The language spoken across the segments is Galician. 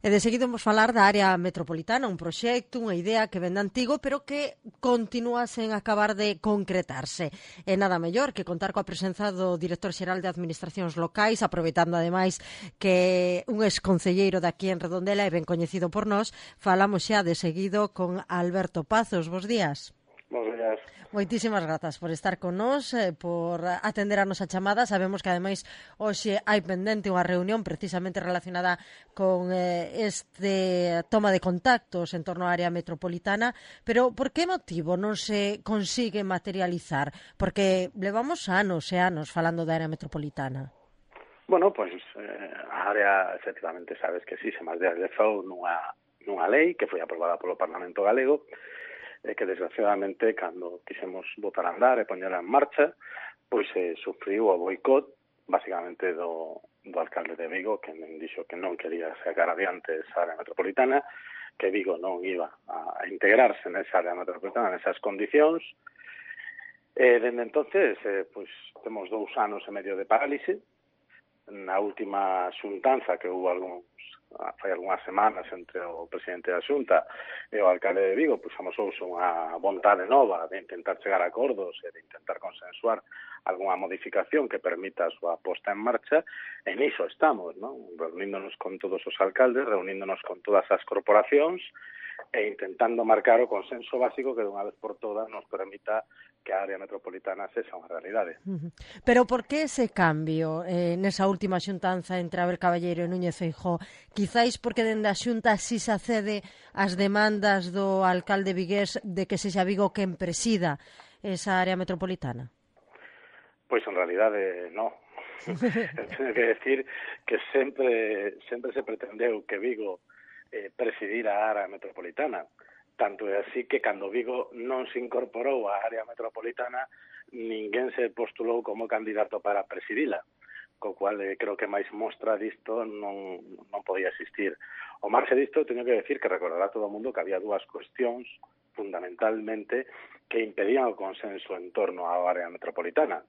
E de seguido vamos falar da área metropolitana, un proxecto, unha idea que vende antigo, pero que continúa sen acabar de concretarse. E nada mellor que contar coa presenza do director xeral de Administracións Locais, aproveitando ademais que un exconcelleiro daqui en Redondela e ben coñecido por nós. Falamos xa de seguido con Alberto Pazos. Bos días. Bos días. Moitísimas grazas por estar con nós, por atender a nosa chamada. Sabemos que ademais hoxe hai pendente unha reunión precisamente relacionada con este toma de contactos en torno á área metropolitana, pero por que motivo non se consigue materializar? Porque levamos anos e anos falando da área metropolitana. Bueno, pois a área, efectivamente, sabes que sí, se máis de fou nunha lei que foi aprobada polo Parlamento Galego, que desgraciadamente, cando quixemos botar a andar e poñela en marcha, pois sufriu o boicot, basicamente do alcalde de Vigo, que dixo que non quería sacar adiante esa área metropolitana, que Vigo non iba a integrarse nesa área metropolitana, nesas condicións. Dende entonces, pois temos 2 anos e medio de parálise. Na última xuntanza que houve fai algunhas semanas entre o presidente da Xunta e o alcalde de Vigo, pois amosouse unha vontade nova de intentar chegar a acordos e de intentar consensuar algunha modificación que permita a súa posta en marcha, e niso estamos, non? Reuníndonos con todos os alcaldes, reuníndonos con todas as corporacións e intentando marcar o consenso básico que dunha vez por todas nos permita que a área metropolitana sexa unha realidade. Pero por que ese cambio nesa última xuntanza entre Abel Caballero e Núñez Feijóo? Quizáis porque dende a xunta si se accede ás demandas do alcalde vigués de que sexa Vigo quen presida esa área metropolitana? Pois en realidade non. Teño que decir que sempre se pretendeu que Vigo presidira a área metropolitana. Tanto é así que cando Vigo non se incorporou á área metropolitana, ninguén se postulou como candidato para presidila, co cual creo que máis mostra disto non podía existir. O marxe disto, teño que decir que recordará todo o mundo que había 2 cuestións fundamentalmente que impedían o consenso en torno á área metropolitana.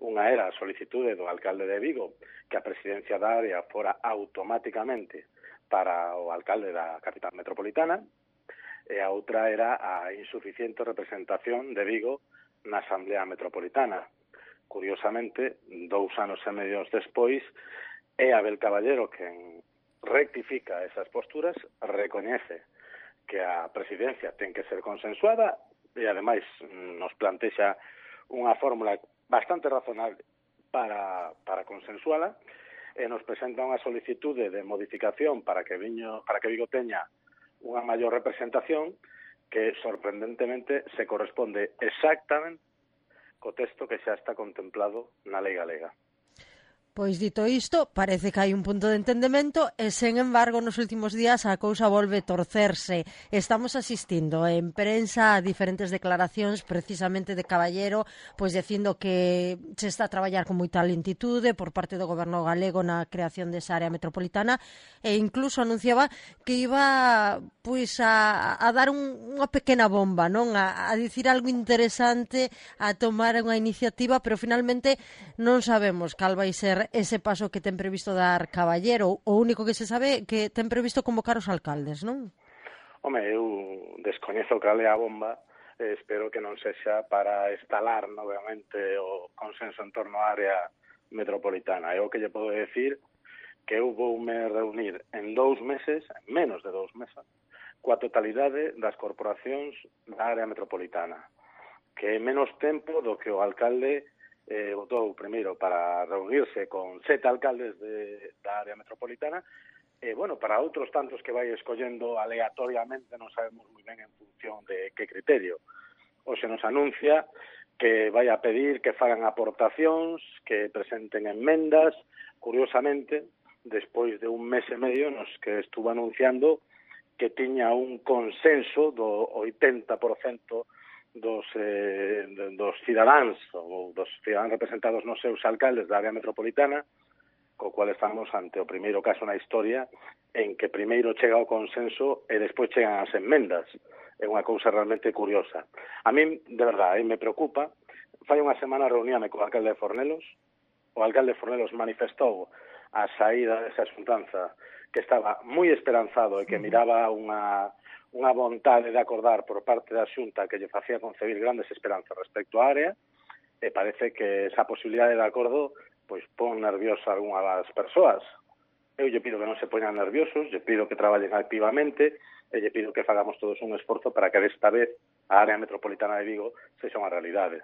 Unha era a solicitude do alcalde de Vigo que a presidencia da área fora automáticamente para o alcalde da capital metropolitana, e a outra era a insuficiente representación de Vigo na Asamblea Metropolitana. Curiosamente, 2 anos e medio despois, é Abel Caballero quen rectifica esas posturas, recoñece que a presidencia ten que ser consensuada e, ademais, nos plantexa unha fórmula bastante razonable para consensuala, e nos presenta unha solicitude de modificación para que Vigo teña unha maior representación que, sorprendentemente, se corresponde exactamente co texto que xa está contemplado na lei galega. Pois dito isto, parece que hai un punto de entendemento e, sen embargo, nos últimos días a cousa volve torcerse. Estamos asistindo en prensa a diferentes declaracións precisamente de Caballero, pois dicindo que se está a traballar con moita lentitude por parte do goberno galego na creación desa área metropolitana, e incluso anunciaba que iba pois a dar unha pequena bomba, non? A dicir algo interesante, a tomar unha iniciativa, pero finalmente non sabemos cal vai ser ese paso que ten previsto dar Caballero. O único que se sabe que ten previsto convocar os alcaldes, non? Home, eu descoñezo cal é a bomba, espero que non sexa para instalar novamente o consenso en torno á área metropolitana. É o que lle podo decir que eu voume reunir en 2 meses, en menos de 2 meses, coa totalidade das corporacións da área metropolitana, que é menos tempo do que o alcalde votou primeiro para reunirse con 7 alcaldes da área metropolitana, e, bueno, para outros tantos que vai escollendo aleatoriamente, non sabemos moi ben en función de que criterio. Hoxe nos anuncia que vai a pedir que fagan aportacións, que presenten enmendas. Curiosamente, despois de 1 mes e medio nos que estuvo anunciando que tiña un consenso do 80% dos cidadáns ou dos cidadáns representados nos seus alcaldes da área metropolitana, co cual estamos ante o primeiro caso na historia en que primeiro chega o consenso e despois chegan as enmendas. É unha cousa realmente curiosa. A min, de verdade, me preocupa. Fai unha semana reuníame co alcalde de Fornelos. O alcalde de Fornelos manifestou a saída desa xuntanza que estaba moi esperanzado e que miraba unha vontade de acordar por parte da Xunta que lle facía concebir grandes esperanzas respecto á área, e parece que esa posibilidade de acordo pois pon nerviosa a algunha das persoas. Eu lle pido que non se poñan nerviosos, lle pido que traballen activamente e lle pido que fagamos todos un esforzo para que desta vez a área metropolitana de Vigo sexa unha realidade.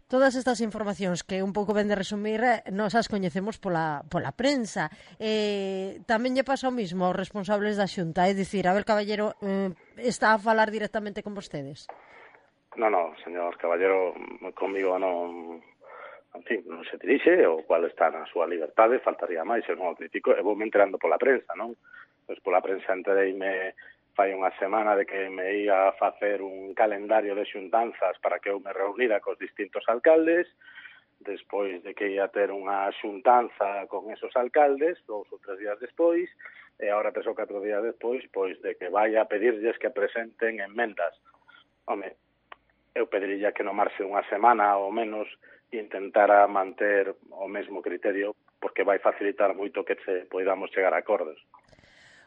Todas estas informacións que un pouco ben de resumir nos as coñecemos pola prensa. Tamén lle pasa o mismo aos responsables da Xunta, é dicir, Abel Caballero está a falar directamente con vostedes? Non, señor Caballero, comigo non, en fin, non se dirixe, o cual está na súa liberdade, faltaría máis, eu non o critico, e vou me enterando pola prensa, non? Pois pola prensa entereime fai unha semana de que me ia a facer un calendario de xuntanzas para que eu me reunira cos distintos alcaldes, despois de que ia ter unha xuntanza con esos alcaldes, 2 ou 3 días despois, e agora 3 ou 4 días despois, pois de que vai a pedirlles que presenten enmendas. Home, eu pediría que no marxe unha semana ou menos intentara manter o mesmo criterio, porque vai facilitar moito que poidamos chegar a acordos.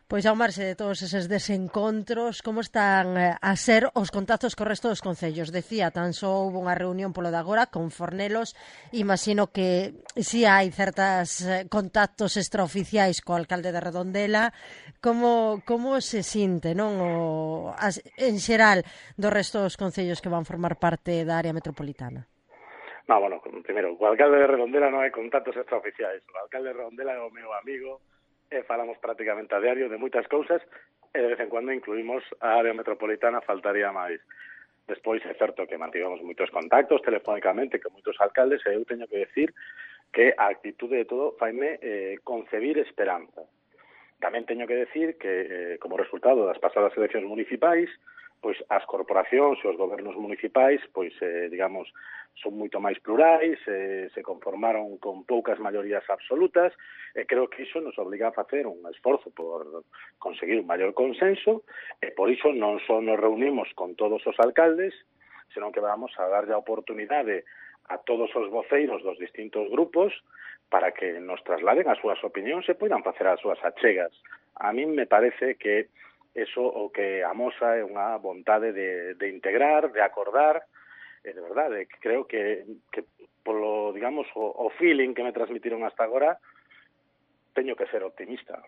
Pois ao marxe de todos eses desencontros, como están a ser os contactos co resto dos concellos? Decía, tan só houve unha reunión polo de agora con Fornelos, imagino que si hai certas contactos extraoficiais co alcalde de Redondela. Como se sinte, non, en xeral, do resto dos concellos que van formar parte da área metropolitana? No, bueno, primeiro, o alcalde de Redondela non hai contactos extraoficiais. O alcalde de Redondela é o meu amigo, e falamos prácticamente a diario de moitas cousas, e de vez en cuando incluímos a área metropolitana, faltaría máis. Despois é certo que mantivemos moitos contactos telefónicamente con moitos alcaldes, e eu teño que decir que a actitude de todo faime concebir esperanza. Tamén teño que decir que, como resultado das pasadas eleccións municipais, pois as corporacións e os gobernos municipais, pois, digamos, son moito máis plurais, se conformaron con poucas maiorías absolutas, e creo que iso nos obliga a facer un esforzo por conseguir un maior consenso, e por iso non só nos reunimos con todos os alcaldes, senón que vamos a darlle a oportunidade a todos os voceiros dos distintos grupos para que nos trasladen as súas opinións e poidan facer as súas achegas. A min me parece que eso o que amosa é unha vontade de integrar, de acordar, e de verdade, creo que polo, digamos, o feeling que me transmitiron hasta agora, teño que ser optimista.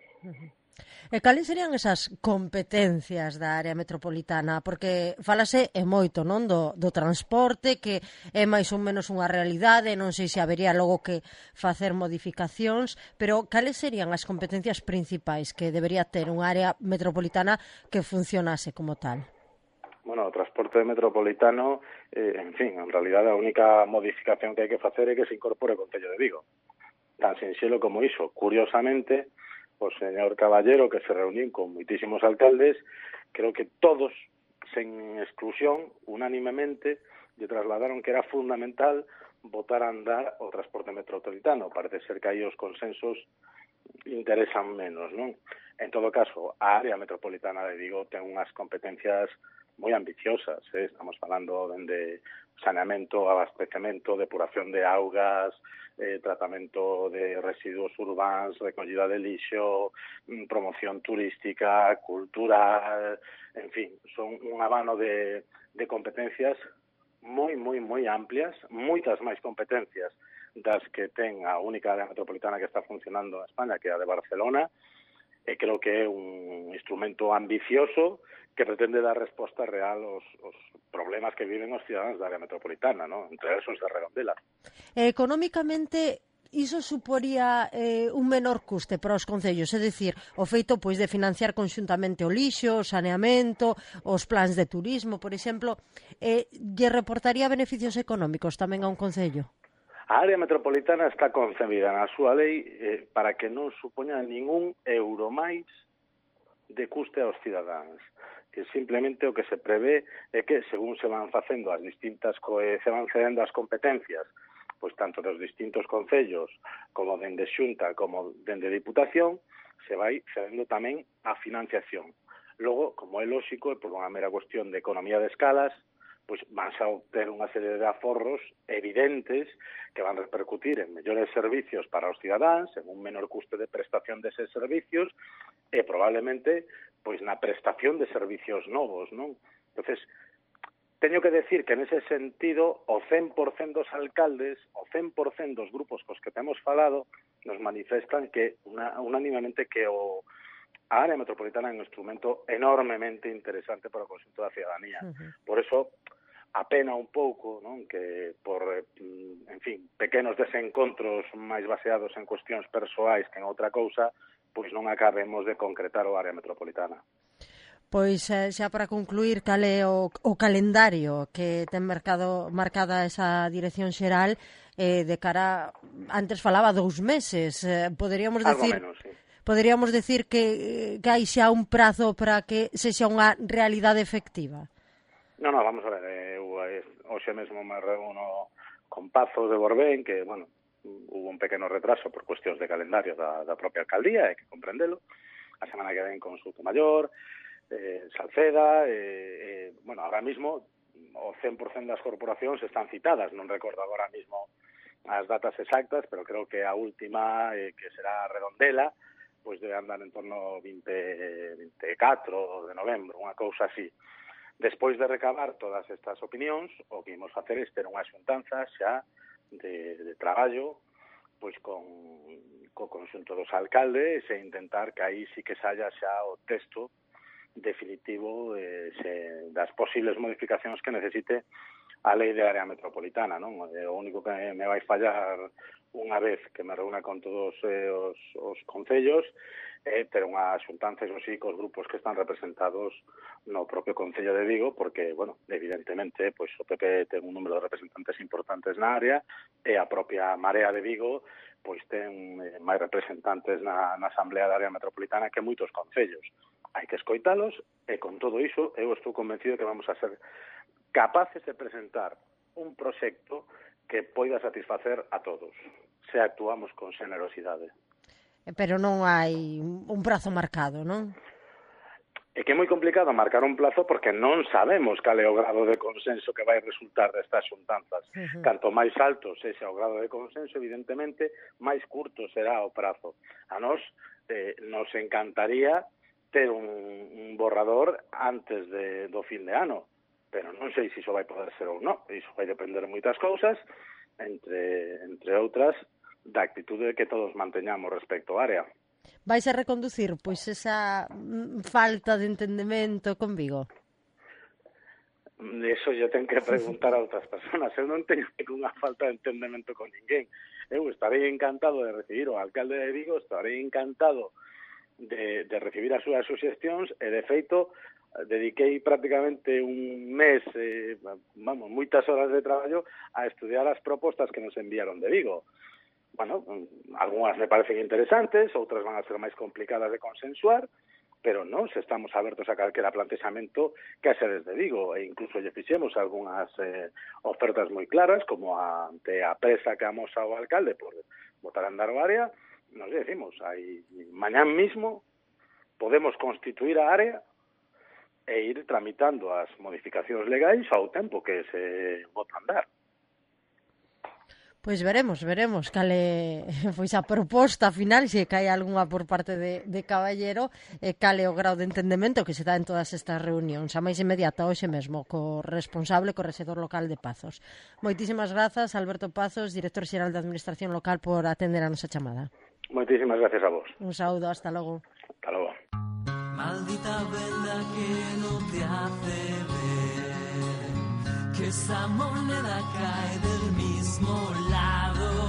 E cales serían esas competencias da área metropolitana? Porque falase moito, non, do transporte, que é máis ou menos unha realidade, non sei se habería logo que facer modificacións, pero cales serían as competencias principais que debería ter unha área metropolitana que funcionase como tal? Bueno, o transporte metropolitano, en fin, en realidad a única modificación que hai que facer é que se incorpore o Concello de Vigo. Tan sinxelo como iso. Curiosamente, o señor Caballero, que se reuniu con moitísimos alcaldes, creo que todos, sen exclusión, unánimemente, lle trasladaron que era fundamental botar a andar o transporte metropolitano. Parece ser que aí os consensos interesan menos, non? En todo caso, a área metropolitana de Vigo ten unhas competencias moi ambiciosas, estamos falando de saneamento, abastecemento, depuración de augas, tratamento de residuos urbans, recollida de lixo, promoción turística, cultural, en fin, son un abano de competencias moi amplias, moitas máis competencias das que ten a única área metropolitana que está funcionando en España, que é a de Barcelona, e creo que é un instrumento ambicioso que pretende dar resposta real aos problemas que viven os cidadáns da área metropolitana, ¿no? Entre esos de Redondela. Económicamente, iso suporía un menor custe para os concellos, é dicir, o feito pois de financiar conxuntamente o lixo, o saneamento, os plans de turismo, por exemplo, lle reportaría beneficios económicos tamén a un concello? A área metropolitana está concebida na súa lei para que non supoña ningún euro máis de custe aos cidadáns, que simplemente o que se prevé é que, según se van facendo as distintas se van cedendo as competencias, pois tanto dos distintos concellos como dende Xunta como dende Diputación, se vai cedendo tamén a financiación. Logo, como é lóxico, e por unha mera cuestión de economía de escalas, pois vanse a obter unha serie de aforros evidentes que van repercutir en mellores servicios para os cidadáns, en un menor custe de prestación deses servicios e probablemente pois na prestación de servicios novos, non? Entonces, teño que decir que nese sentido o 100% dos alcaldes, o 100% dos grupos cos que temos falado, nos manifestan que unánimamente que a área metropolitana é un instrumento enormemente interesante para o conxunto da cidadanía. Por eso, apena un pouco, non, que por, en fin, pequenos desencontros máis baseados en cuestións persoais que en outra cousa, pois non acabemos de concretar o área metropolitana. Pois xa para concluir, cal é o calendario que ten marcada esa dirección xeral de cara, antes falaba 2 meses, poderíamos decir... Algo menos, sí. Poderíamos decir que hai xa un prazo para que sexa unha realidade efectiva? Non, vamos a ver, hoxe mesmo me reúno con Pazos de Borbén, que, bueno, hubo un pequeno retraso por cuestións de calendario da propia alcaldía, hai que comprendelo. A semana que ven con Soutomaior, Salceda, bueno, ahora mismo o 100% das corporacións están citadas, non recordo agora mismo as datas exactas, pero creo que a última, que será Redondela, pois debe andar en torno ao 24 de novembro, unha cousa así. Despois de recabar todas estas opinións, o que imos facer é ter unha xuntanza xa de traballo pois co conxunto dos alcaldes e intentar que aí sí que saia xa o texto definitivo das posibles modificacións que necesite a lei de área metropolitana, non? O único que me vai fallar unha vez que me reúna con todos os concellos é ter unha xuntanza, eso sí, cos grupos que están representados no propio Concello de Vigo, porque, bueno, evidentemente, pois o PP ten un número de representantes importantes na área e a propia Marea de Vigo pois ten máis representantes na Asamblea da Área Metropolitana que moitos concellos. Hai que escoitalos e con todo iso eu estou convencido que vamos a ser capaces de presentar un proxecto que poida satisfacer a todos, se actuamos con xenerosidade. Pero non hai un prazo marcado, non? É que é moi complicado marcar un plazo porque non sabemos cal é o grado de consenso que vai resultar destas xuntanzas. Canto máis alto sexa o grado de consenso, evidentemente, máis curto será o prazo. A nós nos encantaría ter un borrador antes do fin de ano, pero non sei se iso vai poder ser ou non. Iso vai depender de moitas cousas, entre outras, da actitude que todos manteñamos respecto á área. Vais a reconducir, pois, esa falta de entendemento con Vigo? Eso yo ten que preguntar a outras personas. Eu non teño ninguna falta de entendemento con ninguén. Eu estarei encantado de recibir o alcalde de Vigo, estarei encantado de recibir as súas suxestións e, de feito, dediquei prácticamente un mes, moitas horas de traballo a estudiar as propostas que nos enviaron de Vigo. Bueno, algunhas me parecen interesantes, outras van a ser máis complicadas de consensuar, pero non, se estamos abertos a calquera plantexamento que haxe desde Vigo, e incluso lle fixemos algunhas ofertas moi claras, como ante a presa que amosa o alcalde por botar a andar o área, nos decimos, mañán mismo podemos constituir a área e ir tramitando as modificacións legais ao tempo que se bota a andar. Pois veremos cal é pois a proposta final, se cae algunha por parte de Caballero, cal é o grau de entendemento que se dá en todas estas reunións, a máis inmediata hoxe mesmo, co responsable, co rexedor local de Pazos. Moitísimas grazas, Alberto Pazos, director xeral de Administración Local, por atender a nosa chamada. Moitísimas gracias a vos. Un saúdo, hasta logo. Hasta logo. Maldita venda que no te hace ver que esa moneda cae del mismo lado.